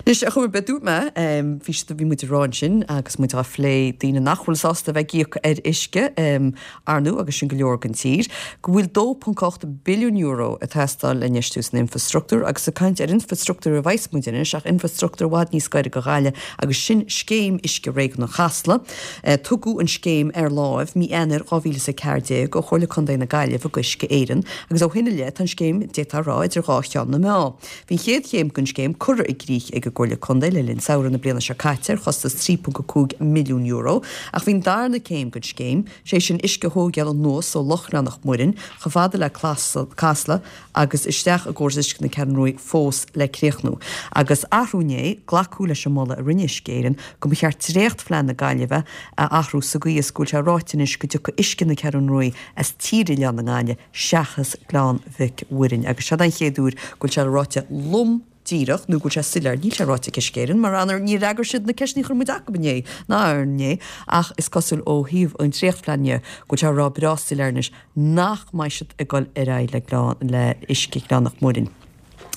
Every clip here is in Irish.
Anois, ar chuma ar bith, dúirt mé, bhí siad, bhí muid ag rá ansin agus muid á phlé daoine nach bhfuil sásta a bheith ag íoc ar uisce, ar ndóigh, agus sin go leor den tír, go bhfuil €2.8 billiún ag teastáil le infheistiú san infreastruchtúr agus ag caint ar infreastruchtúr a bheas muid anois ach infreastruchtúr i bhfad níos gaire do Ghaillimh agus sin Scéim Uisce Réigiúnach Chasla. Tugadh an scéim ar láimh mí Eanáir 2014 ó Chomhairle Contae na Gaillimhe go Uisce Éireann agus ó shin i leith tá an scéim, d'fhéadfá a rá, idir dhá cheann na meá. Bhí an chéad chéim den scéim curtha i gcrích ag an gComhairle Contae le linn samhradh na bliana seo caite ar chostas €3.5 milliún ach bhí an darna céim den scéim, sé sin uisce a thóigeáil anuas ó Loch Ghleann Mhuirinn chomh fada le Casla agus isteach i gcóras uisce na Ceathrún Ruaidh fós le críochnú. Agus arú inné, glacadh leis an moladh a rinne Uisce Éireann go mba cheart dréachtphlean na Gaillimhe a athrú sa gcaoi is go bhfuil sé ráite anois go dtiocfaidh uisce na Ceathrún Ruaidh as Tír Oileáin na nGaillimhe seachas Gleann Mhic Mhuirinn. Agus seod é an chéad uair go bhfuil sé ráite lom díreach, nó go bhfuil sé soiléir, níl sé ráite ag Uisce Éireann, mar ar ndóigh níor fhreagair siad na ceisteanna a chuir muid acu inné, ná inné, ach is cosúil ó thaobh an dréachtphlean dhe, go bhfuil sé á rá breá soiléir anois nach mbeidh siad ag dul ar aghaidh le Gleann, le uisce Ghleann Mhic Mhuirinn.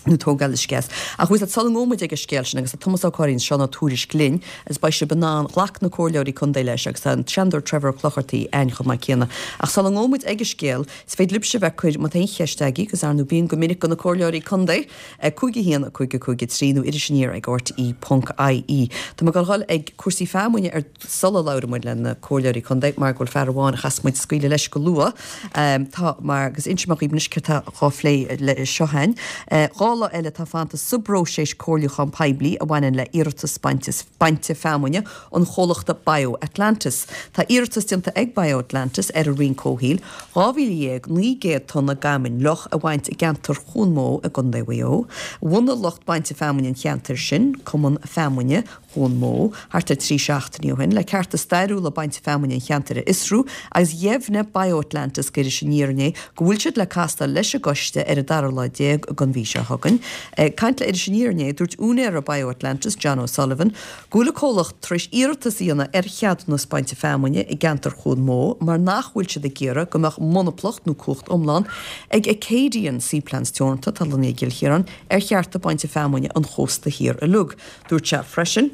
nó tógáil uisce as. Ach bhfuil sula ngabhfaidh muid ag an scéal sin agus tá Tomás Ó Curraoin is Seán Ó Tuairisg linn agus beidh sibh in ann, ghlac na comhairleoirí contae leis agus tá an Seanadóir Trevor Ó Clochartaigh againn chomh maith céanna. Ach sula ngabhfaidh muid ag an scéal, is féidir libhse bheith ag cur, má tá aon cheist agaibh, agus ar ndóigh bíonn go minic do na comhairleoirí contae, 5 1 5 5 3 nó iris aniar ag rte ponc ie. Tá mé ag dul ag cúrsaí feamainne ar sula labhraíonn muid le na comhairleoirí contae mar go bhfuil fear amháin a chas muid scaoileadh leis go luath. Tá mar agus inseoidh mé dhaoibh anois céard atá dhá phlé le seo againn. 2 lá eile atá fanta sa bpróiseas comhairliúchán poiblí a bhaineann le iarratas bainte feamainne an chomhlachta BioAtlantis. Tá iarratas déanta ag BioAtlantis ar an Roinn Comhshaoil 12,900 tonna d'fheamainn fhliuch a bhaint i gceantar Chuan Mó i gContae Mhaigh Eo. Bhunaigh lucht bainte feamainne an cheantair sin, Cumann Feamainne Chuan Mó, thart ar 3 seachtainí ó shin, le cearta stairiúla bainte feamainne an cheantair a fhiosrú agus dheimhnigh BioAtlantis d'Iris Aniar inné go bhfuil siad le castáil leis an gcoiste ar an dara lá déag den mhí seo chugainn. Ag caint le Iris Aniar inné, dúirt úinéara BioAtlantis, John O'Sullivan, go bhfuil a comhlacht tar éis iarratas a dhéanamh ar cheadúnas bainte feamainne i gceantar Chuan Mó mar nach bhfuil siad ag iarraidh go mbeadh monaplacht nó cumhacht iomlán ag Acadian Seaplants Teoranta, atá lonnaithe i gCill Chiaráin, ar chearta bainte feamainne an chósta thiar uilig. Dúirt sé freisin,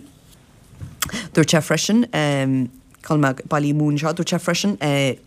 dúirt sé freisin, cá bhfuil mé bailithe amú anseo, dúirt sé freisin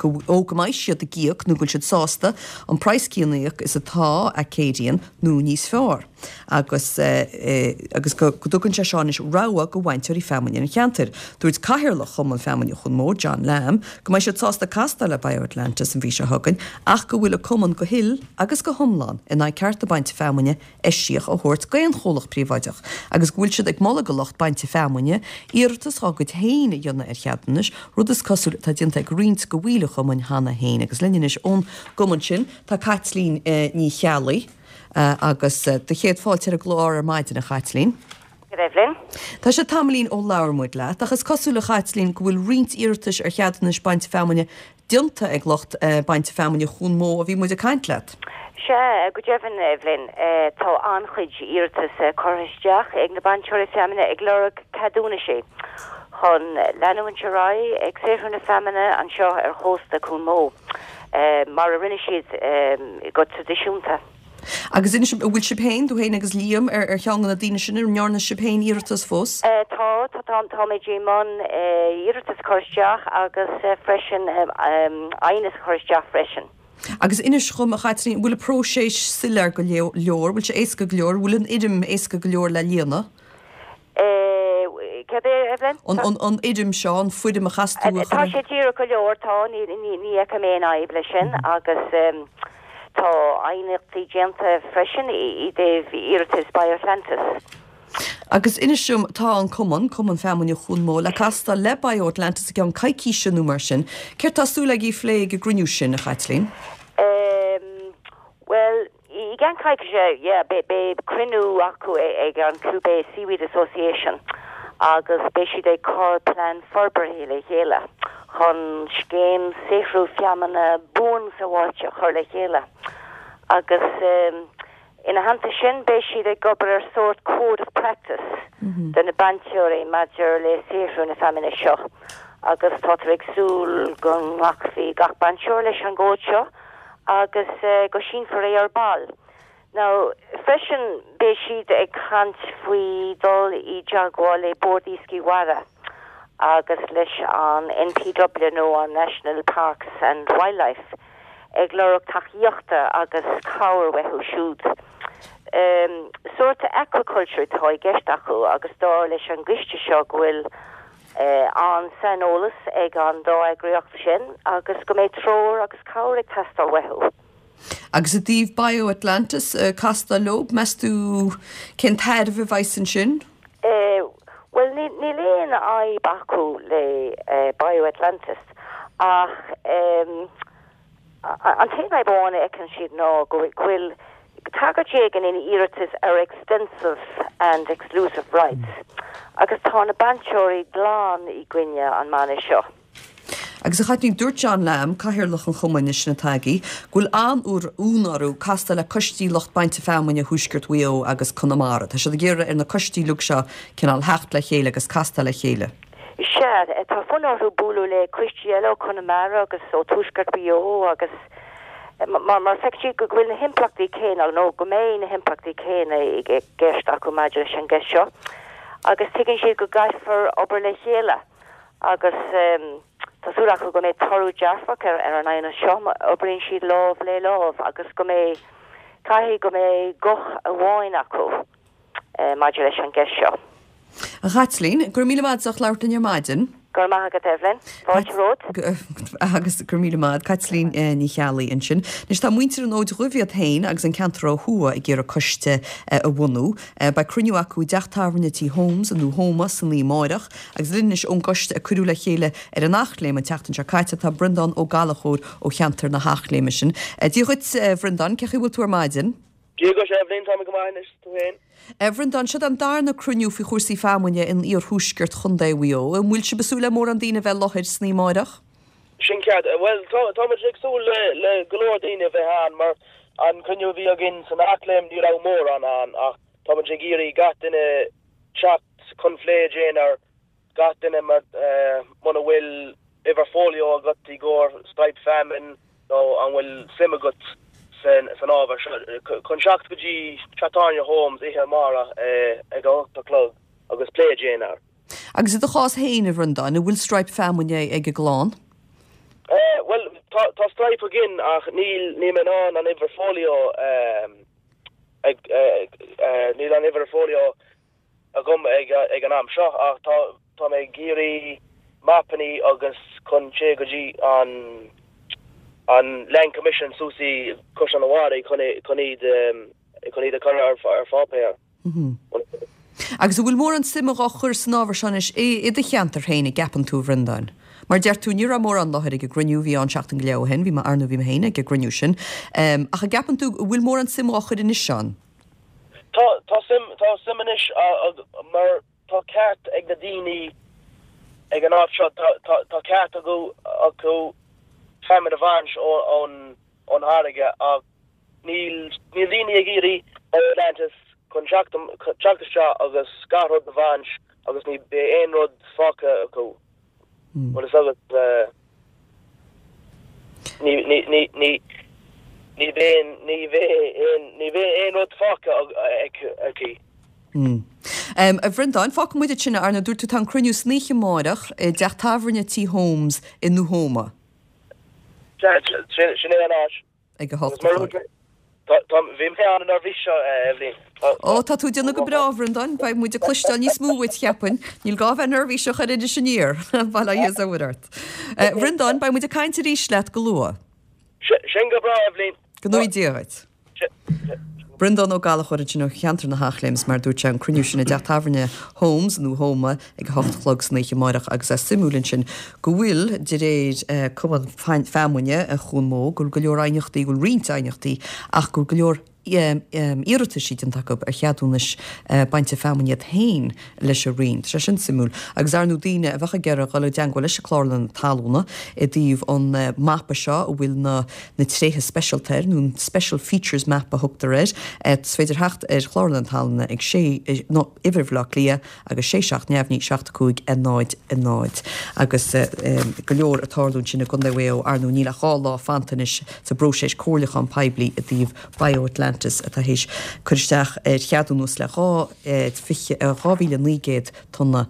go, ó go mbeidh siad ag íoc nó go bhfuil siad sásta an praghas céanna a íoc is atá Acadian nó níos fearr agus agus go dtugann sé seo anois rogha go bhainteoirí feamainne an cheantair. Dúirt Cathaoirleach Chumann Feamainne Chuan Mó, John Lamb, go mbeidh siad sásta castáil le BioAtlantis an mhí seo chugainn ach go bhfuil a cumann go huile agus go hiomlán in aghaidh cearta bainte feamainne eisiach a thabhairt d'aon chomhlacht príobháideach agus go bhfuil siad ag moladh go lucht bainte feamainne iarratas dhá gcuid féin a dhéanamh ar cheadúnais, rud is cosúil atá déanta ag roinnt de bhaill an chumainn cheana féin. Agus linn anois ón gcumann sin tá Caitlín Ní Cheallaigh agus do chéad fáilte ar an gclár ar maidin, a Chaitlín. Go raibh linn. Tá sé tamaillín ó labhair muid leat, ach is cosúil a Chaitlín go bhfuil roinnt iarratais ar cheadúnais bainte feamainne déanta ag lucht bainte feamainne Chuan Mó a bhí muid ag caint leat. Sea, go deimhin, Evelyn, tá an-chuid iarratas curtha isteach ag na bainteoirí feamainne ag lorg ceadúnaisí chun leanúint ar aghaidh ag saothrú na feamainne anseo ar chósta Cuan Mó, mar a rinne siad go traidisiúnta. Agus inis, an bhfuil sibh féin, tú féin agus Liam, ar ar cheann de na daoine sin, an ndearna sibh féin iarratas fós? Tá, tá, tá, táimid i mbun iarratas a chur isteach agus freisin aighneas a chur isteach freisin. Agus inis dhom, a Chaitlín, an bhfuil an próiseas soiléir go leor, bhfuil sé éasca go leor, an bhfuil an fhoirm éasca go leor le líonadh? Céard é, Evelyn? An, an, an fhoirm seo, an foirm a chas tú a chur Tá sé díreach go leor, tá, ní, ní, ní fheicim aon fhadhb leis sin agus tá aighneachtaí déanta freisin i dtaobh iarratas BioAtlantis. Agus inis dom, tá an cumann, Cumann Feamainne Chuan Mó, le castáil le BioAtlantis i gceann coicíse nó mar sin. Céard tá súil agaibh a phlé ag an gcruinniú sin, a Chaitlín? Bhuel, I gceann coicíse, yeah, beidh cruinniú acu ag an Clew Bay Seaweed Association agus beidh siad ag cur plean forbartha le chéile chun scéim saothrú feamainne buan sábháilte a chur le chéile agus ina theannta sin beidh siad ag obair ar sórt code of practice do na bainteoirí maidir le saothrú na feamainne seo agus táthar ag súil go nglacfaidh gach bainteoir leis an gcód seo. agus go sínfear é ar ball. Now, freisin, beidh siad ag caint faoi dul i dteagmháil le Bord Iascaigh Mhara agus leis an NPW nó an National Parks and Wildlife ag lorg tacaíochta agus cabhair uathu siúd. Sórt aquaculture atá i gceist acu agus dar leis an gcoiste seo go bhfuil an-saineolas ag an dá eagraíocht sin agus go mbeidh treoir agus cabhair ag teastáil uathu. Agus i dtaobh BioAtlantis, castáil leo, meas tú cén tairbhe a bheas ansin? Bhuel, níl aon fhadhb acu le BioAtlantis ach an t-aon fhadhb amháin a fheiceann siad ná go bhfuil tagairt éigin in iarratas ar extensive and exclusive rights agus tá na bainteoirí glan i gcoinne an mana seo. Agus a Chaitlín, dúirt John Lamb, Cathaoirleach an Chumainn leis na Tagaí, go bhfuil an-fhonn orthu castáil le coistí lucht bainte feamainne Thuaisceart Mhaigh Eo agus Conamara. Tá siad ag iarraidh ar na coistí uilig seo cineál theacht le chéile agus castáil le chéile. Sea, tá fonn orthu bualadh le coistí eile ó Chonamara agus ó Tuaisceart Mhaigh Eo agus mar mar feiceann siad go bhfuil na himpleachtaí céanna nó go mbeidh na himpleachtaí céanna i gceist acu maidir leis an gceist seo agus tuigeann siad go gcaithfear obair le chéile. agus tá súil acu go mbeidh toradh dearfach ar an aighneas seo má oibríonn siad lámh le lámh agus go mbeidh, caithfidh go mbeidh guth amháin acu maidir leis an gceist seo. A Chaitlín, go raibh míle maith agat as ucht labhairt linn ar maidin. Go raibh maith agat Evelyn. Fáilte romhat. Agus go raibh míle maith agat. Caitlín Ní Cheallaigh ansin. Anois tá muintir an Fhóid Dhuibh iad féin agus an ceantar ó thuaidh ag iarraidh coiste a bhunú. Beidh cruinniú acu i dteach tábhairne Tí Holmes i nDún Hóma san oíche amáireach. Agus linn anois ón gcoiste a cuireadh le chéile ar an Eachléim an tseachtain seo caite tá Breandán Ó Gallchóir ó cheantar na hEachléime sin. Dia dhuit, a Bhreandáin, cén chaoi a bhfuil tú ar maidin? Dia dhuit, Eibhlín, tá mé go maith anois, tú féin? A Bhreandáin, seo an darna cruinniú faoi chúrsaí feamainne in iarthuaisceart Chontae Mhaigh Eo. An bhfuil sibh ag súil le mórán daoine a bheith i láthair san oíche amáireach? Sin ceart. Bhuel, tá muid ag súil le go leor daoine a bheith ann mar an cruinniú a bhí againn san Eachléim ní raibh mórán ann ach tá muid ag iarraidh gach duine teacht chun plé a dhéanamh ar gach duine mar muna bhfuil uimhir fóilió agat i gcomhair striped feamainn nó an bhfuil suim agat san ábhar seo, chun teacht go dtí Teach Tábhairne Holmes oíche amárach ag a 8 a chlog agus plé a dhéanamh air. Agus i do chás féin, a Bhreandáin, an bhfuil stripe feamainne ag an gclann? Bhuel, tá stripe againn ach níl mé in ann an uimhir fóilió ag, níl an uimhir fóilió agam ag ag an am seo ach tá tá mé ag iarraidh mapannaí agus chun téigh go dtí an an Land Commission suas i Caisleán an Bharraigh chun chun iad chun iad a chur ar ar pháipéar. Agus an bhfuil mórán suime dhá chur san ábhar seo anois i i do cheantar féin, an gceapann tú, a Bhreandáin? Mar deir tú, ní raibh mórán i láthair ag an gcruinniú a bhí ann seachtain go leith ó shin, bhí mé, ar ndóigh bhí mé féin ag an gcruinniú sin, ach an gceapann tú an bhfuil mórán suime dhá chur anois ann? Tá, tá suim, tá suim anois mar tá ceart ag na daoine ag an áit seo, tá, tá, tá ceart acu, acu feamainn a bhaint ón, ón fharraige ach níl, níl daoine ag iarraidh Atlantis chun teacht, teacht isteach agus gach rud a bhaint agus ní beidh aon rud fágtha acu. Bhfuil fhios agat, ní, ní, ní, ní, ní bheidh, ní bheidh aon, ní bheidh aon rud fágtha aici. A Bhreandáin, fágfaidh muid ansin é, ar ndóigh dúirt tú tá an cruinniú san oíche amáireach i dteach tábhairne Tí Holmes i nDúthóma. Sin é an áit. Ag a hocht a chlog. Bhí mé an-neirbhíseach, a Eibhlín. Ó, tá tú ag déanamh go breá, a Bhreandáin. Beidh muid ag cloisteáil níos mó uait, cheapfainn. Níl gá a bheith neirbhíseach ar Iris Aniar. Bail ó Dhia is ó Mhuire ort. A Bhreandáin, beidh muid ag caint arís leat go luath. Sin go breá, a Eibhlín. Go ngnóthaí Dia dhuit. Breandán Ó Gallchóir ansin ó cheantar na hEachléime is mar a dúirt sé an cruinniú sin i dteach tábhairne Holmes i nDúthóma ag a hocht a chlog san oíche amáireach agus é suimiúil ansin go bhfuil de réir Cumann Feamainne Chuan Mó go bhfuil go leor aighneachtaí go bhfuil roinnt aighneachtaí ach go bhfuil go leor iarrataisí déanta acu ar cheadúnais bainte feamainne iad féin leis an Roinn. Tá sé sin suimiúil. Agus ar ndóigh daoine a bheadh ag iarraidh dhul i dteangmháil leis an Clárlann Talúna i dtaobh an mapa seo a bhfuil na na tréithe speisialta air, nó an Special Features Map a thugtar air, is féidir theacht ar Chlárlann Talúna ag sé, nó uimhir Bhaile Átha Cliath agus 6 7 neamhní 7 5 0 0. Agus go leor ag tarlú ansin i gContae Mhaigh Eo, ar ndóigh níl ach 2 lá fanta anois sa bpróiseas comhairliúchán poiblí i dtaobh BioAtlantis. Atlantis atá théis cur isteach ar cheadúnas le 2, 2,900 tonna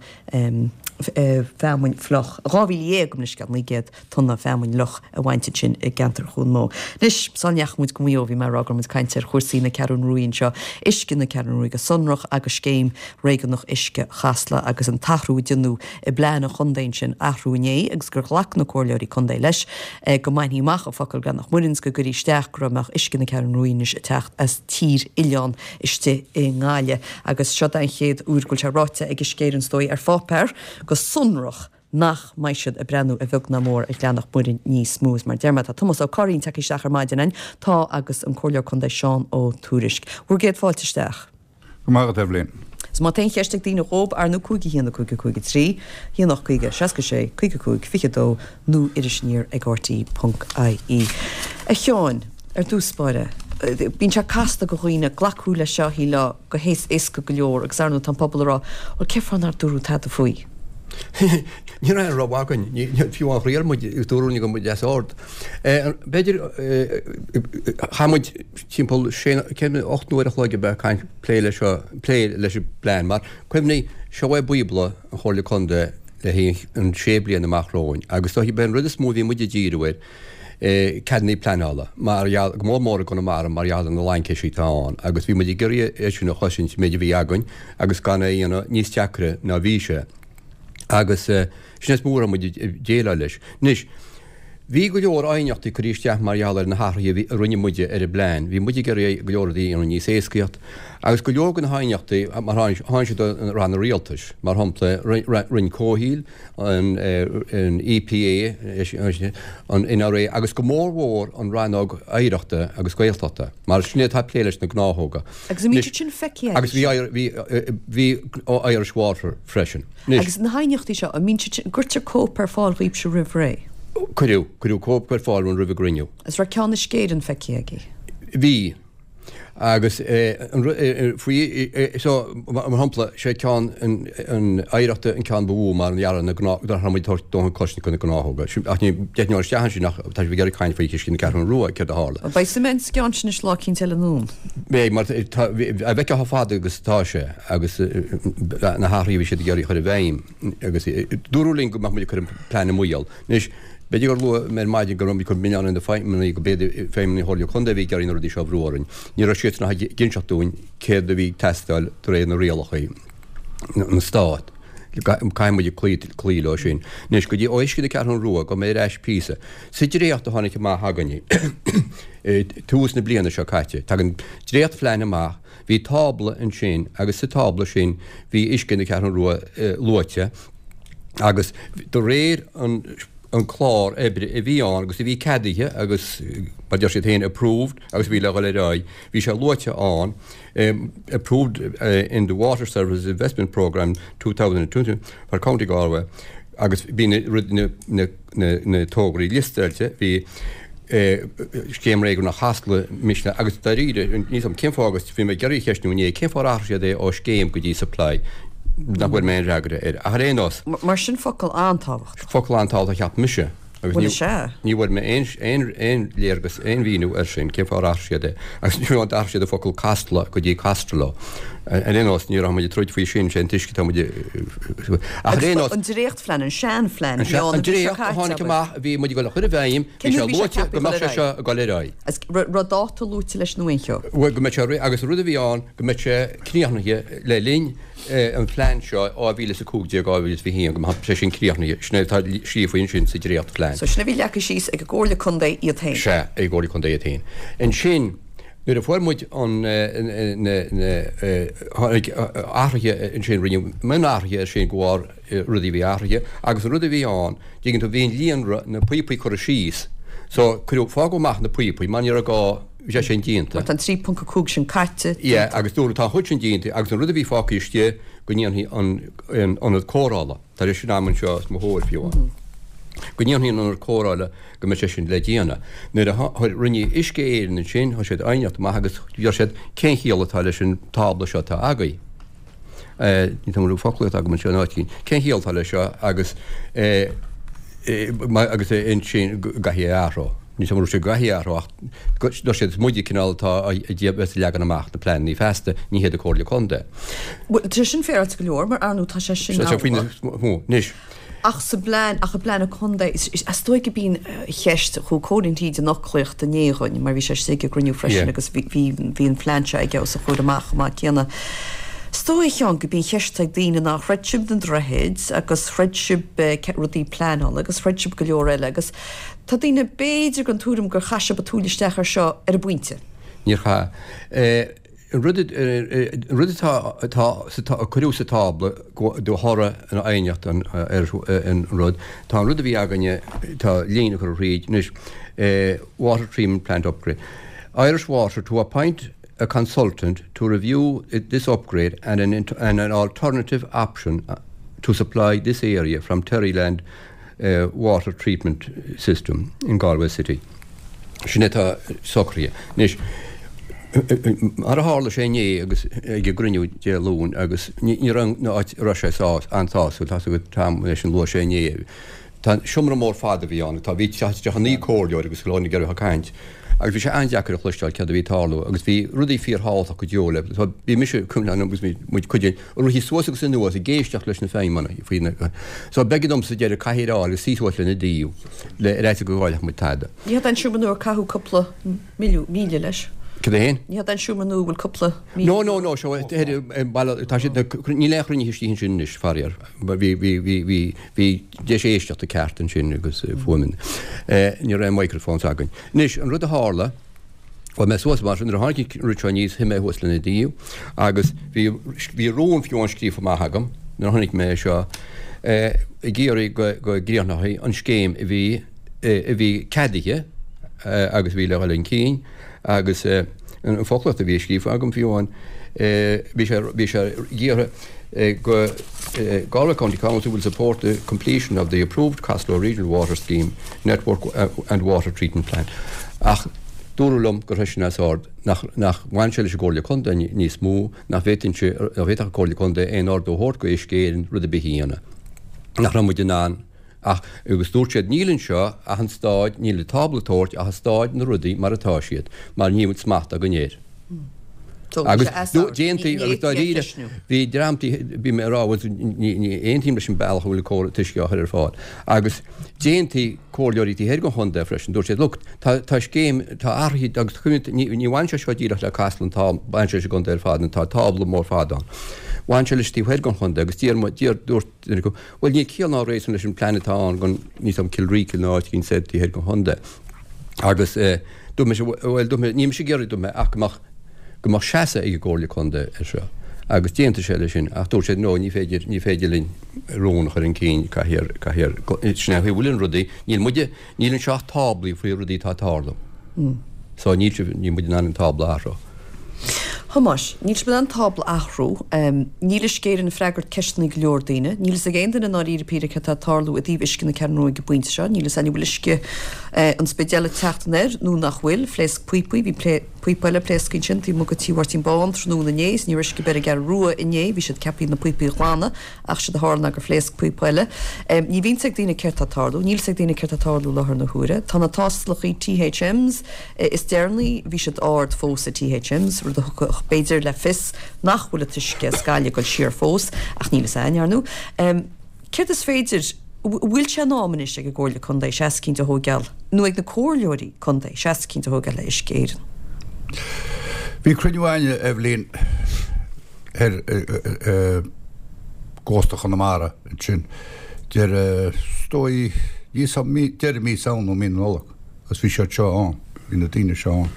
feamainn fliuch, 12,000, gabh mo leithscéal, 900 tonna feamainn fhliuch a bhaint ansin i gceantar Chuan Mó. Anois, sula ndeachaigh muid go Maigh Eo, bhí mé ag rá go raibh muid ag caint ar chúrsaí na Ceathrún Ruaidh anseo, uisce na Ceathrún Ruaidh go sonrach agus scéim réigiúnach uisce Chasla agus an t-athrú a déanadh i bplean an chontae ansin, athrú inné agus gur ghlac na comhairleoirí contae leis go mbainfí amach an focal Breathnach Muirinn 's go gcuirfí isteach go raibh mbeadh uisce na Ceathrún Ruaidh anois ag teacht as Tír Oileán istigh i nGaillimh agus seo é an chéad uair go bhfuil sé ráite ag Uisce Éireann is dóigh ar pháipéar go sonrach nach mbeidh siad ag breathnú a bheag ná mór ar Ghleann Mhuirinn níos mó. Is mar a deir mé tá Tomás Ó Curraoin tagtha isteach ar maidin againn, tá agus an Comhairleoir Contae Seán Ó Tuairisg. Bhur gcéad fáilte isteach. Go raibh maith agat, Eibhlín. Is má tá aon cheist ag daoine dhób, ar ndóigh 5 1 5 5 3, 1 8 50 66 55 22 nó Iris Aniar ag RTÉ ponc ie. A Sheáin, ar dtús báire, bíonn sé casta go dhaoine glacadh leis seo, shílfeá, go héasca go leor agus ar ndóigh tá an pobal ag rá, bhuel cén fáth nár dúradh tada faoi? Ní raibh aon rogha againn, fiú amháin thriail muid, dúradh linn go mbeadh muid as ord. B'fhéidir, chaith muid timpeall sé, cén, 8 n-uair a chloig ab ea ag caint, plé leis seo, plé leis an bplean mar cuimhnigh, seo é bíobla an Chomhairle Contae le haghaidh an sé bliana amach romhainn agus is dóichí b'é an rud is mó a bhí muid ag díriú air ceadanna pleanála, mar gheall, go mór mór i gConamara mar gheall ar na laincisí atá ann agus bhí muid ag iarraidh é sin a chosaint, an méid a bhí againn agus gan é a dhéanamh níos deacra ná bhí sé agus sin is mó a raibh muid ag déileáil leis. Anois, bhí go leor aighneachtaí curtha isteach mar gheall ar na hathruithe a bhí, a rinne muide ar an bplean, bhí muid ag iarraidh go leor rudaí a dhéanamh níos éascaíocht agus go leor de na haighneachtaí mar tháinig siad ó ranna rialtais, mar shampla Roinn Comhshaoil, an EPA, an NRA agus go mór mhór an Rannóg Oidhreachta agus Gaeltachta, mar sin é atá ag plé leis na gnáthóga. Agus an mbíonn siad sin feicthe Agus bhí bhí ó Irish Water freisin. Anois. Agus na haighneachtaí seo, an mbíonn siad sin, an gcuirtear cóip ar fáil dhaoibhse roimh ré? Cuireadh, cuireadh cóip ar fáil roimh an gcruinniú. Agus raibh ceann Uisce Éireann feicthe agaibh? Bhí. Agus faoi so, mar shampla, sé ceann an Oidhreachta an ceann ba mhó mar gheall ar na gnáth, nach raibh muid ag tabhairt dóthain cosaint do na gnáthóga. Ach ní deichniúr isteach ansin ach tá sibh ag iarraidh caint faoi uisce na Ceathrún Rua, céard a tharla. Beidh suim againn sa gceann sin anois lá eicínt eile anonn. Beidh, mar tá, a bhfeicfeá chomh fada agus atá sé agus na hathruithe a bhí siad ag iarraidh a chur i bhfeidhm agus dúradh linn go mbeadh muid ag cur an plean i mbaol. Anois, b'fhéidir gur luaigh mé ar maidin go raibh muid ag cur milleán ar na feidhmeannaigh, go b'fhéidir feidhmeannaigh Chomhairle Contae a bhí ag iarraidh na rudaí seo a bhrú orainn. Ní raibh siadsan ach ag inseacht dúinn céard a bhí ag teastáil de réir na rialacha na Stát. Caithfidh muid cloí, cloí leo sin. Anois, go dtí ó uisce na Ceathrún Rua, gabhfaidh mé ar ais píosa. Sa dréacht a tháinig amach againne i tús na bliana seo caite, tagann dréachtphlean amach, bhí tábla ansin agus sa tábla sin bhí uisce na Ceathrún Rua luaite, agus de réir an an clár oibre a bhí ann agus a bhí ceadaithe agus mar deir siad féin approved agus a bhí le dhul ar aghaidh, bhí sé luaite ann approved in the Water Services Investment Programme 2020 for County Galway agus bhí na na na tograí liostáilte, bhí Scéim Réigiúnach Chasla Misneach agus dáiríre, níl a fhios agam cén fáth agus bhí mé ag iarraidh a cheistiú inné, cén fáth ar athraigh siad é ó scéim go dtí supply, nach bhfuair mé aon fhreagra air. Ach ar aon nós. Mar sin focal an-tábhachtach. Focal an-tábhachtach a cheap mise. Agus Bhuel is ea. ní bhfuair mé aon, aon, aon léargas, aon mhíniú air sin, cén fáth ar athraigh siad é. Agus ní raibh, d'athraigh siad an focal Casla go dtí Castralo. Ar aon nós, ní raibh muid ag troid faoi sin, sé an t-uisce atá muid ag, ach ar aon nós. An dréachtphlean, an seanphlean, a bhí ann an mhí seo caite, abair. An dréacht a tháinig amach a bhí muid ag dul a chur i bhfeidhm, bhí sé luaite go mbeadh sé seo ag dul ar aghaidh. Agus raibh dáta luaite leis nó aon cheo? Bhuel, go mbeadh sé réidh, agus an rud a bhí ann, go mbeadh sé críochnaithe le linn an phlean seo, 2015, 2021, go mbeadh sé sin críochnaithe. Sin é atá scríofa ansin sa dréachtphlean. So sin a bhí leagtha síos ag an gComhairle Contae iad féin. Sea, ag an gComhairle Contae iad féin. Ansin, nuair a fuair muid an, na, na, tháinig athruithe ansin, rinneadh mionathruithe air sin de bharr rudaí a bhí athraithe agus an rud a bhí ann, dtuigeann tú, bhí an líonra, na píopaí curtha síos, so cuireadh, fágadh amach na píopaí mar ní raibh gá, bhí sé sin déanta. Mar tá an 3.5 sin caite, déanta. Yeah, agus dúradh tá an chuid sin déanta agus an rud a bhí fágtha istigh go ndéanfaí an ionad cóireála, tá sé sin agam anseo os mo chomhair fiú amháin, go ndéanfaí an ionad cóireála go mbeadh sé sin le déanamh. Nuair a rinne Uisce Éireann ansin, chuir siad aighneacht amach agus deir siad cén chiall atá leis an tábla seo atá agaibh. Ní tá an foclaíocht agam anseo in áit éigin. Cén chiall atá leis seo agus agus ansin go gcaithfidh é a athrú. Níl 'fhios a'm an raibh sé go gcaithfí a athrú ach dúirt siad is muide cineál atá a bheas ag leagan amach na pleananna feasta, ní hiad an Comhairle Contae. Bhuel, tá sin féaráilte go leor mar ar ndóigh tá sé sin amhlaidh. Anois. Ach sa bplean, ach i bplean an chontae, is dóigh go b'in an cheist, chuaigh Cóilín Taoide an fhoclaíocht inné dhúinn mar bhí sé istigh ag an gcruinniú freisin agus bhí, bhí an plean seo aige os a chomhair amach chomh maith céanna. Is dóigh, a Sheáin, go b'in an cheist ag daoine ná throid sibh na droichid agus throid sibh rudaí pleanála agus throid sibh go leor eile agus Tá daoine b'fhéidir den tuairim gur chaith sibh an tsúil isteach air seo ar an bpointe. Níor chaith. An rud an rud atá atá sa a cuireadh sa tábla de thoradh an aighneacht an ar an rud, tá an rud a bhí againne, tá líne curtha thríd anois, water treatment plant upgrade. Irish Water to appoint a consultant to review this upgrade and an and an alternative option to supply this area from Terryland Water Treatment System in Galway City. Sin atá socraithe. Anois, mar a tharla sé inné agus ag an gcruinniú Dé Luain agus ní raibh an áit a raibh sé an-sásúil, tá a fhios agat Tom leis an luaigh sé inné. Tá seomra mór fada a bhí ann, tá bhí 39 comhairleoir agus go leor ag iarraidh caint agus bhí sé an-deacair a chloisteáil céard a bhí ag tarlú agus bhí rudaí fíorthábhachtach go deo le bhí mise agus muid cuid Rith suas agus anuas ag éisteacht leis na feidhmeannaigh faoi na So b'éigean dom sa deireadh cathaoir a fháil agus suí suas lena dtaobh le ar fhaitíos go gcaillfeadh muid tada. Ní hé an seomra nua ar caitheadh cúpla milliún, míle leis. Cad é féin? Ní hé an seomra nua a bhfuil cúpla míle. No, no, no, seo baile, tá siad, níl aon chruinnithe istigh ansin anois, faraor. Bhí, bhí, bhí, bhí, bhí deis éisteachta ceart ansin agus fuaimeanna. Ní raibh aon microphones againn. Anois, an rud a tharla, Chuaigh mé suas mar sin nuair a tháinig an rud seo aníos, shuigh mé thuas lena dtaobh agus bhí, bhí rún fiú amháin scríofa amach agam nuair a chonaic mé é seo, ag iarraidh go, go gcríochnófaí an scéim a bhí, a bhí ceadaithe agus a bhí le dhul chun cinn agus an foclaíocht a bhí scríofa agam fiú amháin, bhí sé, bhí sé ag iarraidh go Galway County Council will support the completion of the approved Caslow Regional Water Scheme Network and Water Treatment Plant. Ach dúradh liom gur raibh sin as ord, nach nach bhain sé leis an gComhairle Contae níos mó, nach bhféadfainnse, nach bhféadfadh an Comhairle Contae aon ordú a thabhairt go Uisce Éireann rud ar bith a dhéanamh. Nach raibh muid in ann ach, agus dúirt siad, níl anseo ach an staid, níl an tábla ag tabhairt ach an staid na rudaí mar atá siad, mar níl smacht againn air. Agus d'aontaigh, agus dáiríre, bhí dream, bhí mé ag rá, bhuel, ní aontaím leis an bealach a bhfuil an córas uisce á chur ar fáil. Agus d'aontaigh comhairleoirí taobh thoir den chontae freisin, dúirt siad, look, tá, tá scéim, tá athruithe agus ní, ní bhaineann sé seo díreach le Casla an t-am, baineann sé leis an gcontae ar fad, nó tá tábla mór fada ann. Bhain sé leis taobh thoir den chontae agus d'iarr, d'iarr, dúirt duine acu, bhuel, níl ciall ná réasún leis an plean atá ann don, níl 's a'm, Cill Rícill nó áit éigin soir taobh thoir den chontae. Agus dúirt mise, bhuel, dúirt mé, níl mise ag iarraidh, dúirt mé, ach go mbeadh, go mbeadh seasamh ag an gComhairle Contae air seo. Agus d'aontaigh sé leis sin, ach dúirt sé, no, ní féidir, ní féidir linn rún a chur chun cinn, caithfear, caithfear, sin é an chaoi a bhfuil an rudaí, níl muide, níl anseo ach táblaí faoi rudaí atá ag tarlú. So níl sibh, níl muid in ann an tábla a athrú. Thomáis, níl sibh in ann tábla a athrú. Níl Uisce Éireann ag freagairt ceisteanna go leor daoine. Níl fhios ag aon duine i ndáiríre píre céard atá ag tarlú i dtaobh uisce na Ceathrún Rua ag an bpointe seo. Níl fhios againn an bhfuil uisce an Spidéil ag teacht anoir nó nach bhfuil. Phléasc píopaí, bhí píopa eile pléasctha ansin taobh amuigh de Tí Mháirtín Bán tráthnóna inné is ní raibh uisce ar bith ar an gCeathrú Rua inné. Bhí siad ceaptha na píopaí a ghlanadh ach séard a tharla ná gur phléasc píopa eile. Ní bhíonn 's ag daoine céard tá ag tarlú. Níl 's ag daoine céard tá ag tarlú i láthair na huaire. Tá na tástálacha THMs Is deireanaí, bhí siad ard fós i THMs, rud a thugadh b'fhéidir le fios nach bhfuil an t-uisce as Gaillimh ag dul siar fós, ach níl fhios a'inn, ar ndú. Céard is féidir, bhfuil sé in am anois ag an gComhairle Contae seasamh eicínt a thóigeáil, nó ag na comhairleoirí contae seasamh eicínt a thóigeáil le Uisce Éireann? Bhí cruinniú a'inne, a Eibhlín, ar gcósta Chonamara ansin, deireadh, is dóigh, deireadh mí Samhna nó mí na Nollag. Agus bhí siad seo ann, bhí na daoine seo ann,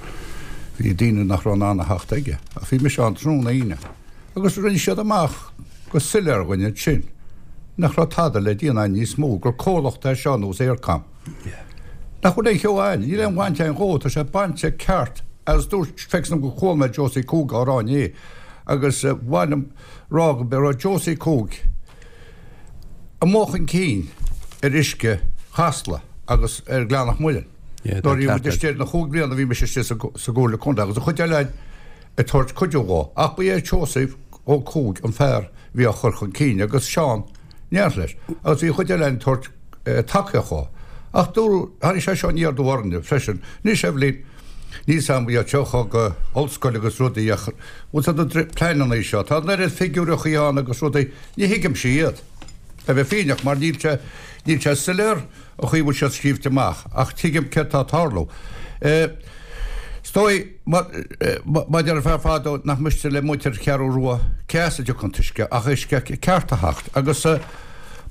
bhí daoine nach raibh in ann a theacht aige, ach bhí mise ann tráthnóna Aoine, agus rinne siad amach go soiléir dhuinn ansin nach raibh tada le déanamh a'inn níos mó, gur comhlacht é seo nós Eircom, nach bhfuil aon cheo a'inn, níl aon bhaint a'inn dhó, tá sé bainte ceart, agus dúirt, feictear dom gur chuala mé Josie Cooke á rá inné, agus mhaith liom rá go raibh Josie Cooke, amuigh chun cinn ar uisce Chasla agus ar Ghleann an Mhuilinn. Nuair a bhí muid istigh na chúig bliana a bhí mise istigh sa gComhairle Contae agus an chuid eile againn ag tabhairt cuidiú dhó. Ach ba é Seosamh Ó Cuaig an fear a bhí á chur chun cinn agus Seán in éineacht leis agus bhí an chuid eile againn ag tabhairt tacaíocht dhó. Ach dúradh, tháinig sé seo aniar aduaidh orainne freisin. Anois, Eibhlín, níl 's a'm iad seo go ollscoil agus rudaí ach bhfuil 's a'd na pleananna seo, tá an oiread figiúireachaí ann agus rudaí, ní thuigimse iad, le bheith fírinneach, mar níl sé, níl sé soiléir an chaoi a bhfuil siad scríobhte amach ach tuigim céard tá ag tarlú. Is dóigh, mar a deir an fear fadó, nach miste le muintir Cheathrú Rua cé as a dtiocfaidh an t-uisce ach uisce ceart a theacht agus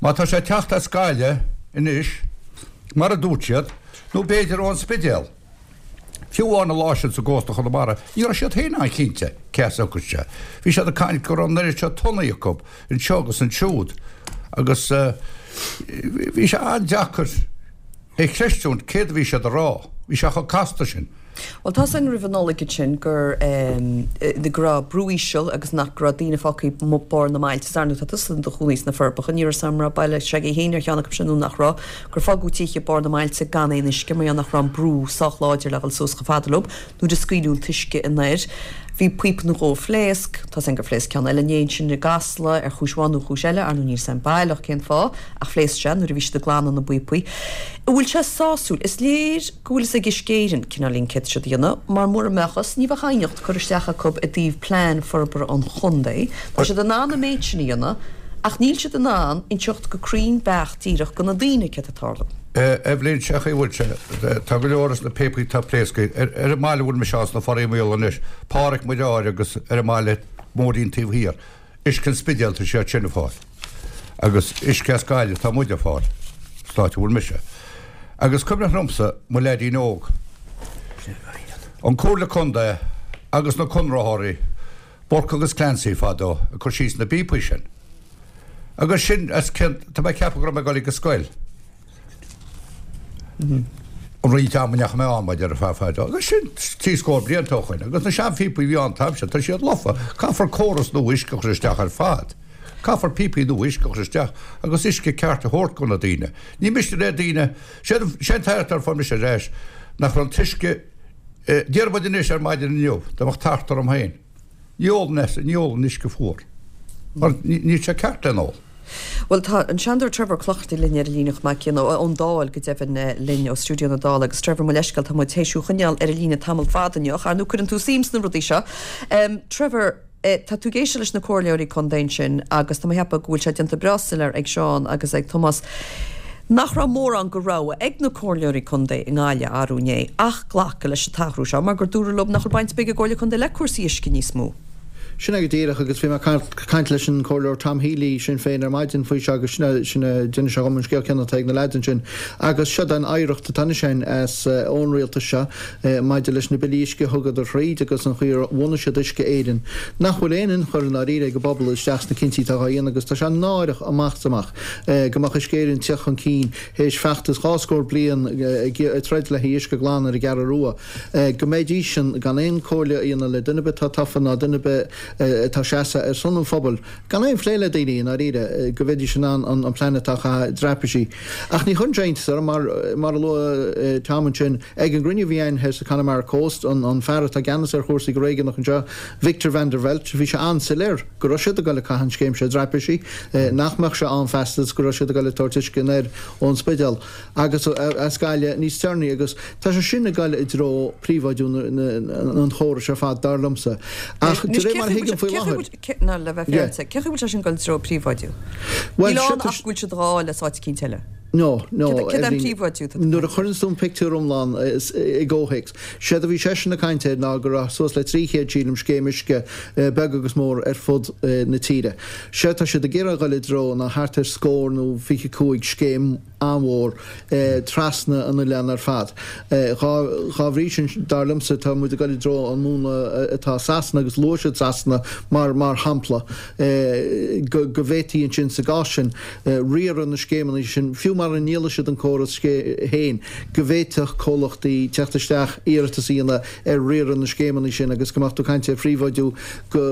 má tá sé ag teacht as Gaillimh anois, mar a dúirt siad, nó b'fhéidir ón Spidéal. Fiú amháin an lá sin sa gcósta Chonamara, ní raibh siad féin an-chinnte cé as a thiocfadh sé. Bhí siad ag caint go raibh an oiread seo tonnaí acu anseo agus ansiúd agus bhí sé an-deacair é chreistiúint céard a bhí siad a rá. Bhí sé chomh casta sin. Bhuel, tá 's againn roimh an Nollaig ansin gur go raibh brú íseal agus nach go raibh daoine fágtha ag barr na mbailte. Is ar ndóigh tá tusa i do chónaí sna Forbacha, ní raibh 's agam an raibh baile s'agaibh féin ar cheann acu sin nó nach raibh, gur fágadh tithe ag barr na mbailte gan aon uisce mar gheall nach raibh an brú sách láidir le dhul suas chomh fada leo nuair a scaoileadh an t-uisce anoir. Bhí píopa nó dhó a phléasc, tá 's againn gur phléasc ceann eile inné ansin i gCasla ar chúis amháin nó chúis eile, ar ndóigh níl 's agam baileach cén fáth ach phléasc sé nuair a bhí siad ag glanadh na bpíopaí. An bhfuil sé sásúil? Is léir go bhfuil fhios ag Uisce Éireann cineáilín céard tá siad a dhéanamh, mar mura mbeadh fhios, ní bheadh aighneacht curtha isteach acu i dtaobh plean forbartha an chontae. Tá siad in ann an méid sin a dhéanamh, ach níl siad in ann inseacht go cruinn beacht díreach go na daoine céard atá ag tarlú. Eibhlín, sé chaoi a bhfuil sé, tá go leor as na píopaí atá pléasctha ar an mbaile a bhfuil mise ann sna Foraí Maola anois, Páraic Muire agus ar an mbaile móirín taobh thiar. Uisce an Spidéil tá siad sin ag fáil. Agus uisce as Gaillimh tá muid ag fáil, san áit a bhfuil mise. Agus cuimhneach liomsa, mo leaidín óg, an Comhairle Contae agus na conraitheoirí, Burke agus Clancy fadó, ag cur síos na bpíopaí sin. Agus sin as cionn, tá mé ag ceapadh go raibh mé ag dul ag an scoil. An roinnt ama a ndeachaigh mé ann, mar a déarfá fadó, agus sin trí scór blianta ó shoin, agus na seanphíopaí a bhí ann an t-am sin, tá siad lofa. Caithfear córas nua uisce a chur isteach ar fad. Caithfear píopaí nua uisce a chur isteach agus uisce ceart a thabhairt go na daoine. Ní miste le daoine, sé an t-aireacht ar fuair mise ar ais, nach raibh an t-uisce, déarfaidh muid anois ar maidin inniu, dá mbeadh tart orm féin. Ní ólann é, ní ólann uisce fuar. Mar níl sé ceart le n-ól. Bhuel, tá an Seanadóir Trevor Ó Clochartaigh linn ar an líne chomh maith céanna, ón Dáil go deimhin, linn ó stiúideo na Dála. Agus Trevor, mo leithscéal, tá muid théis thú a choinneáil ar an líne tamall fada inniu, ach ar ndóigh cuireann tú suim sna rudaí seo. Trevor, tá tú ag éisteacht leis na comhairleoirí contae ansin agus tá mé ag ceapadh go bhfuil sé déanta breá soiléir ag Seán agus ag Tomás nach raibh mórán de rogha ag na comhairleoirí contae i nGaillimh arú inné ach glacadh leis an t-athrú seo mar gur dúradh leo nach bhfuil baint ar bith ag an gComhairle Contae le cúrsaí uisce níos mó. Sin é go díreach agus bhí mé ag caint leis an Comhairleoir Tom Healy, Sinn Féin, ar maidin faoi seo agus sin é, sin é, d'inis sé dhom an scéal céanna atá ag na leaids ansin. Agus seo an oidhreacht atá anois againn as ón rialtas seo maidir leis na billí uisce a thugadar thríd agus an chaoi ar bhunaigh siad Uisce Éireann, nach bhfuil aon ionchur i ndáiríre ag an bpobal isteach sna cinntí atá dhá dhéanamh agus tá sé náireach amach is amach. go mbeadh Uisce Éireann ag teacht chun cinn théis feachtas 20 scór bliain ag troid le haghaidh uisce glan ar an gCeathrú Rua, go mbeidísean gan aon comhairle a dhéanamh le duine ar bith atá tofa ná duine ar bith atá ag seasamh ar son an phobail, gan aon phlé le daoine i ndáiríre, go mbeidís in ann an plean atá á chaitheamh i dtraipisí. Ach ní chuireann sé iontas orm, mar, mar a luaigh Tom ansin, ag an gcruinniú a bhí againn thoir sa Connemara Coast, an fear atá i gceannas ar chúrsaí go réigiúnach anseo, Victor van der Veldt, bhí sé an-soiléir. go raibh siad ag dul ag caitheamh an scéim seo i dtraipisí, nach mbeadh sé ann feasta is go raibh siad ag dul ag tabhairt uisce anoir ón Spidéal agus as Gaillimh níos deireanaí agus tá sé sin ag dul i dtreo príobháidiú an chórais ar fad, dar liomsa. Ach de réir mar a thuigim faoi láthair. Ná le bheith féaráilte, cén chaoi a bhfuil sé sin ag dul i dtreo príobháidiú? Níl ann ach go bhfuil siad á fháil as áit eicínt eile. No, no. Céard é an príobháidiú atá tú ag Nuair a chuireann tú an pictiúr iomlán i gcomhthéacs, Séard a bhí seisean ag caint air ná go raibh suas le 300, sílim, scéim uisce beag agus mór ar fud na tíre. Séard tá siad ag iarraidh a dhul i dtreo ná thart ar scór nó 25 scéim an-mhór trasna an oileáin ar fad. Dhá bhrí sin, dar liomsa, tá muid ag dul i dtreo an múnla atá i Sasana agus luaigh siad Sasana mar mar shampla go go bhféadfaí ansin sa gcás sin riaradh na scéimeanna sin, fiú mara ndíolfaidh siad an córas féin, go bhféadfadh comhlachtaí teacht isteach, iarratas a dhéanamh ar riaradh na scéimeanna sin agus go mbeadh tú ag caint ar phríobháidiú go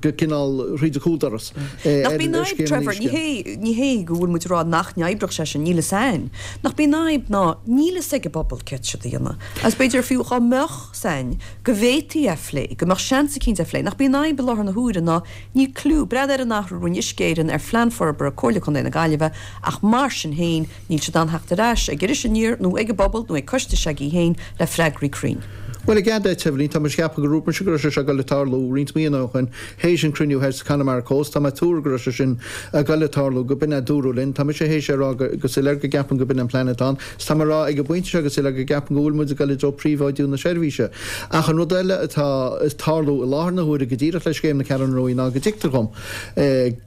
go cineál thríd an chúldoras ar scéimeanna uisce. Trevor, ní hé go bhfuil muid ag rá nach n-oibreodh sé sin, níl fhios a'inn. Nach b'í an fhadhb ná níl fhios ag an bpobal céard tá siad a dhéanamh. Agus b'fhéidir fiú dhá mbeadh 's a'inn go bhféadfaí é a phlé, go mbeadh seans eicínt é a phlé. Nach b'í an fhadhb i láthair na huaire ná níl cliú, breathnaigh ar an athrú a rinne Uisce Éireann ar phlean forbartha Comhairle Contae na Gaillimhe ach. Mar sin féin, níl siad in ann theacht ar ais ag Iris Aniar nó ag an bpobal nó ag Coiste Seaggy féin le freagraí cruinn. Bhuel, i gcead duit, Eibhlín, tá mé ag ceapadh gur dhúirt mise go raibh sé seo ag dul ag tarlú roinnt míonna ó shin, théis an cruinniú thoir sa Connemara Coast. Tá mé ag tuar go raibh sé sin ag dul ag tarlú, go b'in a dúradh linn. Tá mise théis é a rá go go soiléir go gceapaim go b'in an plean atá ann. 'S tá mé ag rá ag an bpointe seo go soiléir go gceapaim go bhfuil muid ag dul i dtreo príobháidiú na seirbhíse. Ach an rud eile atá ag tarlú i láthair na huaire go díreach le scéim na Ceathrún Rua ná go dtuigtear dhom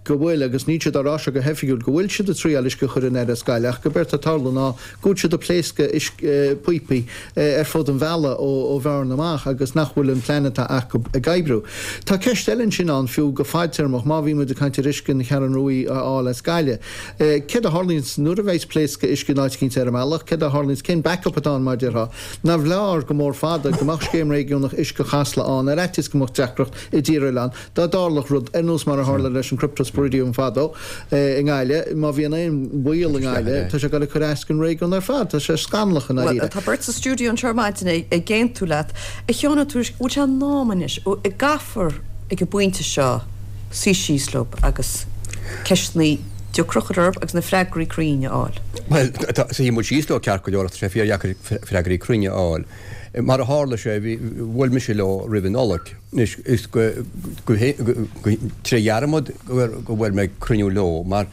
go bhfuil, agus níl siad á rá seo go hoifigiúil, go bhfuil siad ag triáil uisce a chur anoir as Gaillimh ach go b'éard atá ag tarlú ná go bhfuil siad ag pléascadh píopaí ar fud an bhealaigh ó Bhearna amach agus nach bhfuil an plean atá acu ag oibriú. Tá ceist eile ansin ann fiú go fadtéarmach, má bhí muid ag caint ar uisce na Ceathrún Rua a fháil as Gaillimh, céard a tharlaíonns nuair a bheas pléascadh uisce in áit eicínt ar an mbealach, céard a tharlaíonns, cén backup atá ann mar a déarfá? Nárbh fhearr go mór fada go mbeadh scéim réigiúnach uisce Chasla ann ar fhaitíos go mbeadh deacracht i dTír Oileáin Dá dtarlódh rud ar nós mar a tharla leis an Cryptosporidium fadó i nGaillimh, má bhíonn aon bhaol i nGaillimh, tá sé ag dul ag cur as don réigiún ar fad. Tá sé scannalach i Bhuel, ndáiríre. tá beirt sa stiúideo anseo ar maidin ag aontú leat. A Sheáin Ó Tuairisg, bhfuil sé in am anois, an gcaithfear ag an bpointe seo suí síos leo agus ceisteanna deacra a chur orthu agus na freagraí cruinne a fháil? Bhuel, suífidh muid síos leo ceart go leor ach tá sé fíordheacair freagraí cruinne a fháil. Mar a tharla sé, bhí, bhuail mise leo roimh an Nollaig. Anois, is go, go, go, tré dhearmad go bhfuair mé cruinniú leo, mar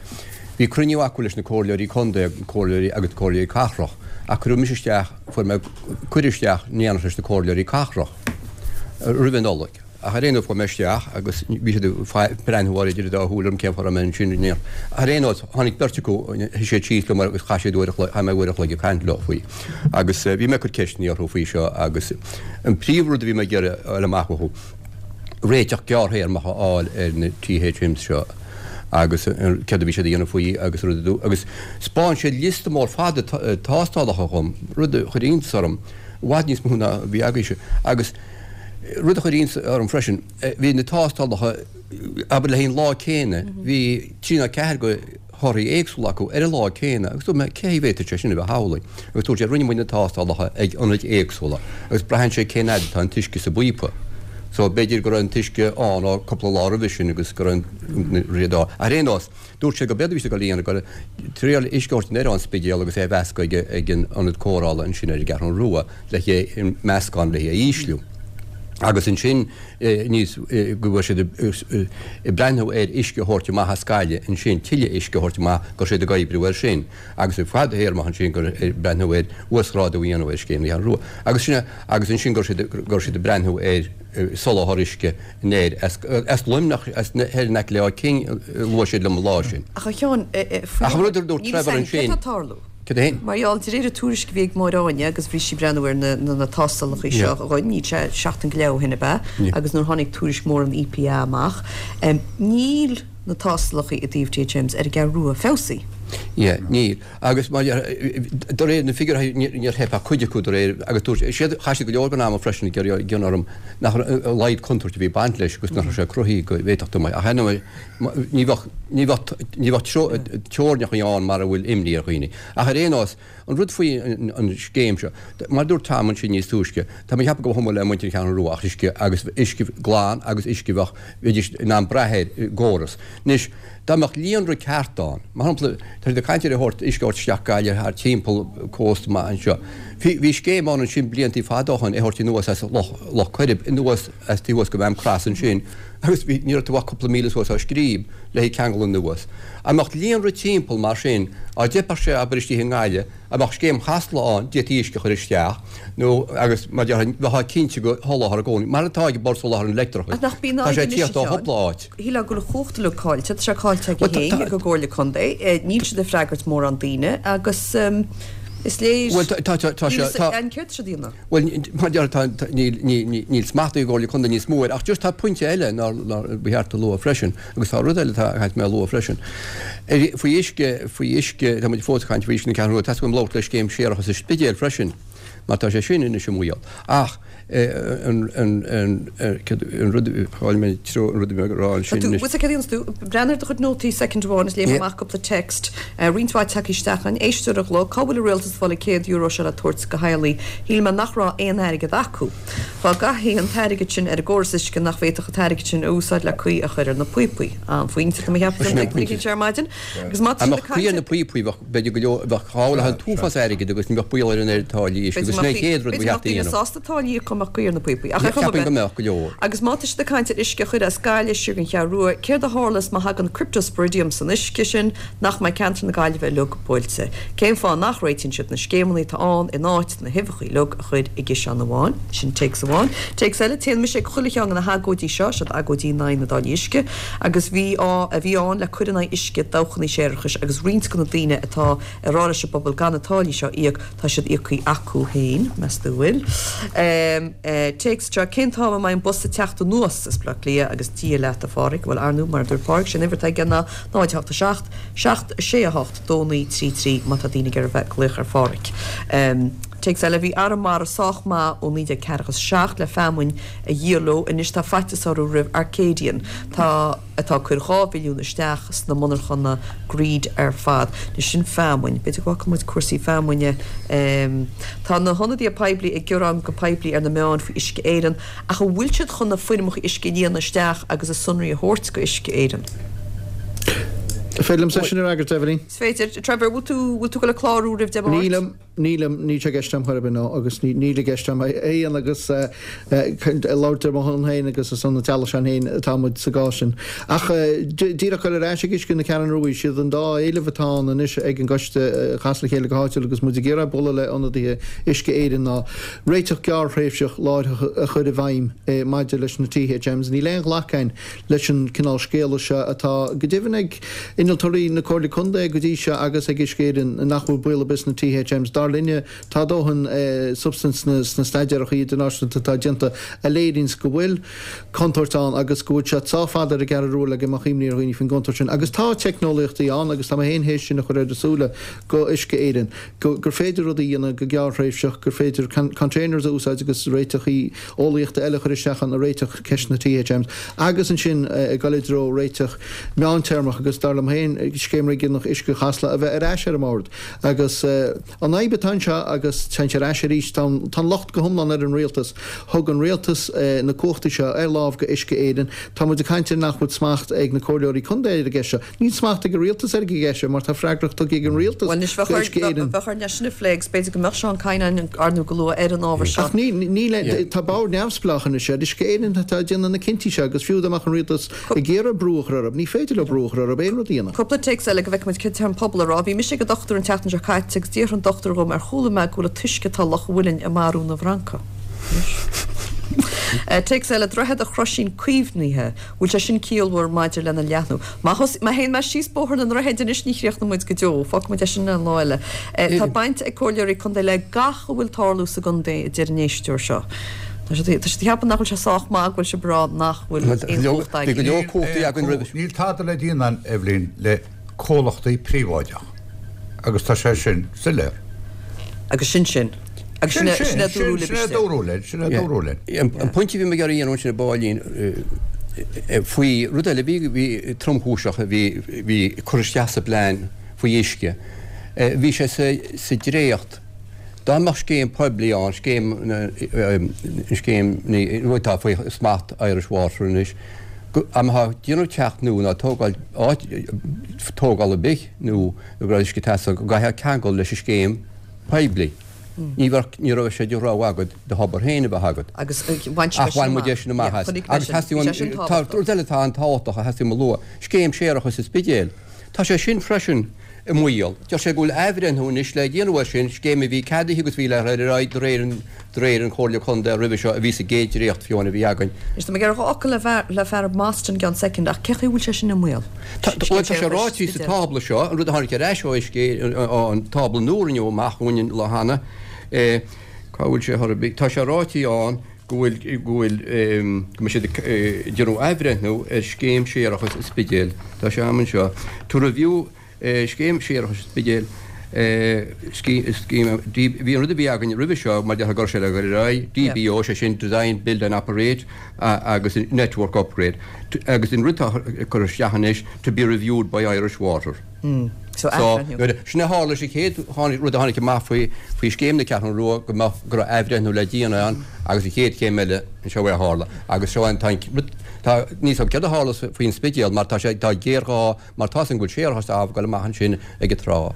bhí cruinniú acu leis na comhairleoirí contae, comhairleoirí agus comhairleoirí cathrach, ach cuireadh mise isteach, fuair mé cuireadh isteach in éineacht leis na comhairleoirí cathrach roimh an Nollaig. Ach ar aon nós, chuaigh mé isteach agus bhí siad ag breathnú idir an dá shúil orm cén fáth a raibh mé ansin in éineacht. Ach ar aon nós, tháinig beirt acu, shuigh siad síos liom agus chaith siad uair a chloig, chaith mé uair a chloig ag caint leo faoi. Agus bhí mé ag cur ceisteanna orthu faoi seo agus an príomhrud a bhí mé ag iarraidh a fháil amach uathu, réiteach gearrthéarmach a fháil ar na THMs seo agus céard a bhí siad a dhéanamh faoi agus rud a agus 'spáin siad liosta mór fada tástálacha dhom, rud a chuir iontas orm, i bhfad níos mó ná a bhí agaibhse. Agus rud a chuir iontas orm freisin, bhí na tástálacha, abair le haghaidh an lá céanna, bhí trí nó ceathair de thorthaí éagsúla acu ar an lá céanna agus dúirt mé cén chaoi a bhféadfadh sé sin a bheith amhlaidh agus dúirt sé rinne muid na tástálacha ag ionaid éagsúla agus braitheann sé cén fhad atá an t-uisce sa bpíopa. So b'fhéidir go raibh an t-uisce ann ó cúpla lá roimhe sin agus go raibh an riad á. Ar aon nós, dúirt sé go b'éard a bhí siad ag dul a dhéanamh ag triail uisce a thabhairt anoir ón Spidéal agus é a mheascadh ag ag an ionad cóireála ansin ar an gCeathrú Rua le haghaidh an meascán le haghaidh a ísliú. Agus ansin níos go bhfuil siad ag breathnú ar uisce a thabhairt amach as Gaillimh ansin, tuilleadh uisce a thabhairt amach, go raibh siad ag oibriú air sin agus i bhfadthéarmach ansin gur ag breathnú ar uasghrádú a dhéanamh ar scéim na Ceathrún Rua agus sin agus ansin go raibh siad go raibh siad ag breathnú ar soláthar uisce anoir as as Luimneach as thoir in aice le Áth Cinn a luaigh siad liom an lá sin. Ach a Sheáin, faoi Ach an rud a dúirt Trevor ansin. Céard atá ag tarlú? Cad é? Mar gheall, de réir an tuairisc a bhí ag Máire Áine agus bhí sí ag breathnú ar na tástálacha seo againn, níl sé seachtain go leith ó shin ab ea, agus nuair a tháinig tuairisc mór an EPA amach, níl na tástálacha i dtaobh THMs ar an gCeathrú Rua feabhsaithe. Yeah, níl. Agus mar de réir na figiúirí níor theip ach cuid acu de réir agus dúirt siad, chaith siad go leor den ama freisin ag iarraidh a dhéanamh orm nach raibh a laghad contúirt a bhí ag baint leis agus nach raibh sé cruthaithe go bhféadfadh tú ach ar ndóigh Ní bheadh, ní bheadh, ní bheadh teorainneacha ann mar a bhfuil imní ar dhaoine. Ach ar aon nós, an rud faoi an scéim seo, mar a dúirt Tom ansin níos túisce, tá mé ag ceapadh go mba chuma le muintir na Ceathrún Rua ach uisce agus uisce glan agus uisce a bheadh, bheidís in ann brath air i gcóras. Anois, dá mbeadh líonra ceart ann, mar shampla, tá siad ag caint ar a thabhairt, uisce a thabhairt isteach Gaillimh thar timpeall cósta amach anseo. Bhí, bhí scéim ann ansin bliantaí fada ó shin é a thabhairt anuas as Loch, Loch Coirib, anuas as taobh thuas de Mhaamcros ansin, Agus bhí, ní raibh tú ach cúpla míle suas ó scríb le haghaidh ceangal anuas. Dá mbeadh líonra timpeall mar sin, dá dteipfeadh sé abair istigh i nGaillimh, dá mbeadh scéim Chasla ann, d'fhéadfaí uisce a chur isteach, nó, agus mar a déarfá, bheifeá cinnte de sholáthar i gcónaí, mar atá ag Bord Soláthair an Leictreachais. Ach nach bíonn Tá sé fadhb ag anois, tíocht a ó Sheáin, chúpla áit. shílfeá go bhfuil an chumhacht uilig caillte, tá sé caillte aige Bhuel, tá, féin, tá, ag an gComhairle Contae, níl siad ag freagairt mórán daoine agus is léir, Bhuel, tá, tá, tá, tá níl sé, a fhios tá, againn céard tá siad a dhéanamh. Bhuel, mar a déarfá, tá, níl, níl, níl smacht ag an gComhairle Contae níos mó air, ach just tá pointe eile nár, nár, ba cheart a lua freisin, agus tá rud eile atá, a chaithfidh mé a lua freisin. Ar, faoi uisce, faoi uisce, tá muid fós ag caint faoi uisce na Ceathrún Rua, tá a fhios agam labhairt le scéim séarachais an Spidéil freisin, mar tá sé sin anois i mbaol. Ach. An rud, chaill mé treo an rud a bhí mé ag rá ansin anois. Bhuel, céard a dhéanfas tú? Breathnaigh ar do chuid nótaí soicind amháin is léifidh mé amach cúpla text. Roinnt mhaith tagtha isteach againn. Éisteoir a ghlaoigh, cá bhfuil an rialtas ag fáil an €100 seo le tabhairt do theaghlaigh? Shíl mé nach raibh aon airgead acu. Dá gcaithfí an t-airgead sin ar an gcóras uisce nach bhféadfadh an t-airgead sin a úsáid le caoi a chur ar na píopaí. An-phointe, tá mé ag ceapadh, don duine seo ar maidin. Agus má tá siad ag caint ar na píopaí, bheadh, b'fhéidir go leor, bheadh gabháil an t-uafás airgid agus ní bheadh baol ar an oiread táillí uisce agus sin é an chéad rud a bheadh a dhéanamh. sásta táillí a íoc dá mbeadh caoi ar na píopaí. Ach ar chuma ar bith. Cheapfainn go mbeadh go leor. Agus má tá siad ag caint ar uisce a chur as Gaillimh siar don Cheathrú Rua, céard a tharlós má thagann cryptosporidium san uisce sin, nach mbeidh ceantar na Gaillimhe uilig buailte? Cén fáth nach réitíonn siad na scéimeanna atá ann in áit na huibheacha uilig a chur i gciseán amháin? Sin téacs amháin. Téacs eile, Téann mise ag chuile cheann de na hagóidí seo, siod agóidí in aghaidh na dtáillí uisce, agus bhí á a bhí ann le cur in aghaidh uisce dabhchanna séarachais agus roinnt de na daoine atá ag rá leis an bpobal gan na táillí seo a íoc, tá siad íoctha acu féin, meas tú an bhfuil? Téacs seo, Cén t-am a mbeidh an bus ag teacht anuas as Baile Átha Cliath agus Dia leat a Pháraic, bhuel ar ndú mar a dúirt Páraic, sé an uimhir atá aige ná 0 8 7 7 6 8 2 9 3 3 má tá daoine ag iarraidh bheith ag glaoch ar Pháraic. Téacs eile, Bhí Arramara sách maith ó 1947 le feamainn a dhíol leo. Anois tá faitíos orthu roimh Arcadian, tá atá ag cur 2 bhilliún isteach sna monarchana greed ar fad. Anois sin feamainn. B'fhéidir go bhfaca muid cúrsaí feamainne. Tá na hionadaithe poiblí ag gearán go poiblí ar na meáin faoi Uisce Éireann ach an bhfuil siad chun na foirmeacha uisce a líonadh isteach agus a sonraí a thabhairt go Uisce Éireann? An féidir liomsa sin a fhreagairt, Eibhlín? Is féidir. Trevor, bhfuil tú, bhfuil tú ag dul ag clárú roimh Dé Máirt? Nílim. Nílim, níl sé i gceist agam chor ar bith, no, agus níl i gceist agam é a dhéanamh agus labhairt ar mo shon féin agus ar son an teaghlaigh s'againn féin atá muid sa gcás sin. Ach díreach dul ar ais ag Uisce na Ceathrún Rua, siad an dá éileamh atá ann anois ag an gcoiste a chas le chéile go háitiúil agus muid ag iarraidh bualadh le ionadaithe Uisce Éireann ná réiteach gearrthréimhseach láithreach a chur i bhfeidhm maidir leis na THMs. Níl aon ghlacadh againn leis an cineál scéala seo atá, go deimhin, ag innealtóirí na Comhairle Contae go dtí seo agus ag Uisce Éireann nach bhfuil baol ar bith sna THMs. Dar linne, tá dóthain substaint sna staidéarachaí idirnáisiúnta atá déanta a léiríonns go bhfuil contúirt ann agus go bhfuil sé sách fada ar an gCeathrú Rua le go mbeadh imní ar dhaoine faoin gcontúirt sin. Agus tá teicneolaíochtaí ann agus tá mé féin théis sin a chur ar a súile go Uisce Éireann, go gur féidir rudaí a dhéanamh go gearrthréimhseach, gur féidir containers a úsáid agus réiteachaí eolaíochta eile a chur isteach ann a réiteach ceist na THMs agus ansin ag dul i dtreo réiteach meántéarmach agus dar liom féin Scéim Réigiúnach Uisce Chasla a bheith ar ais ar an mbord agus an fhadhb atá anseo agus téann sé ar ais arís tá an locht go hiomlán ar an rialtas. Thug an rialtas na cumhachtaí seo ar láimh go Uisce Éireann. Tá muid ag caint ar nach bhfuil smacht ag na comhairleoirí contae ar an gceist seo. Níl smacht ag an rialtas ar an gceist seo mar tá freagracht tugtha ag an rialtas Bhuel, anois, bheadh Uisce Éireann. Bheadh orainn é sin a phlé agus b'fhéidir go mbeadh Seán Kyne ar ndú go luath ar an ábhar seo. Ach níl, níl, tá bord neamhspleách anois ar Uisce Éireann atá ag déanamh na cinntí seo agus fiú dá mbeadh an rialtas ag iarraidh brú a chur orthu, ní féidir leo brú a chur orthu aon rud a dhéanamh. Cúpla téacs eile go bhfeicfidh muid céard atá an pobal a rá. Bhí mise ag an dochtúir an tseachtain seo caite agus d'fhiafraigh an dochtúir dhom ar chuala mé go bhfuil an t-uisce atá i Loch an Mhuilinn ag marú na bhfrancach. Téacs eile, Droichead an Chroisín caomhnaithe. Bhfuil sé sin ciallmhar maidir lena leathnú? Má thos, má théann mé síos bóthar na ndroichead anois ní chríochnóidh muid go deo. Fágfaidh muid é sin le lá eile. Tá baint ag comhairleoirí contae le gach a bhfuil tarlú sa gcontae, a deir an éisteoir seo. Tá siad, tá siad ag ceapadh nach bhfuil sé sách maith go bhfuil sibh ag rá nach bhfuil aon chumhacht agaibh. Bhí go leor cumhachtaí againn roimhe. Níl tada le déanamh, Eibhlín, le comhlachtaí príobháideach agus tá sé sin soiléir. Agus sin sin. Agus sin é, sin é dúradh libh Sin é dúradh linn, sin é dúradh linn. An pointe a bhí mé ag iarraidh a dhéanamh ansin a Phóilín faoi rud eile a bhí, bhí tromchúiseach a bhí, bhí curtha isteach sa bplean faoi uisce, bhí sé sa, sa dréacht, dá mbeadh scéim poiblí ann, scéim, scéim, atá faoi smacht Irish Water anois, go, dá mbeifeá ag déanamh teach nua nó tógáil áit, tógáil ar bith nó go raibh uisce ag teastáil, go gcaithfeá ceangal leis an scéim poiblí. Ní bheadh, ní raibh sé de rogha agat do thobar féin a bheith agat. Agus bhain sibh é sin amach. Ach bhain muid é sin amach as. Agus theastaigh uaim, tá rud eile atá an-tábhachtach a theastaigh uaim a lua, scéim séarachais sa Spidéal. Tá sé sin freisin i mbaol. Deir sé go bhfuil athbhreithniú anois le déanamh air sin, scéim a bhí ceadaithe agus bhí le dhul ar aghaidh de réir an, de réir an Chomhairle Contae roimhe seo a bhí sa gcéad dréacht fiú amháin a bhí againn. Anois tá mé ag iarraidh dhá fhocal le, le fear Mostyn i gceann soicind ach cén chaoi a bhfuil sé sin i mbaol? Tá, bhuel, tá sé ráite sa tábla seo, an rud a tháinig ar ais ó Uisce, an tábla nua a rinneadh amach dhúinn an lá cheana, cá bhfuil sé chor ar bith, tá sé ráite ann go bhfuil, go bhfuil, go mbeidh siad ag déanamh athbhreithniú ar scéim séarachais an Spidéil. Tá sé agam anseo. To review scéim séarachais an Spidéil. Scéim, bhí an rud a bhí againn roimhe seo, mar déarfá go raibh sé le dhul ar aghaidh, DBO, sé sin Design, Build and Operate agus Network Upgrade agus an rud atá curtha isteach anois, to be reviewed by Irish Water. So athbhreithniú. Sin a tharla, sa chéad rud a tháinig amach faoi scéim na Ceathrún Rua go mbeadh, go raibh athbhreithniú le déanamh ann agus an chéad chéim eile, seo é a tharla agus seo an, tá an, tá, níl 's agam céard a tharla faoin Spidéal mar tá sé, tá géarghá mar tá 's agam go bhfuil séarachas ag gabháil amach ansin ag an trá.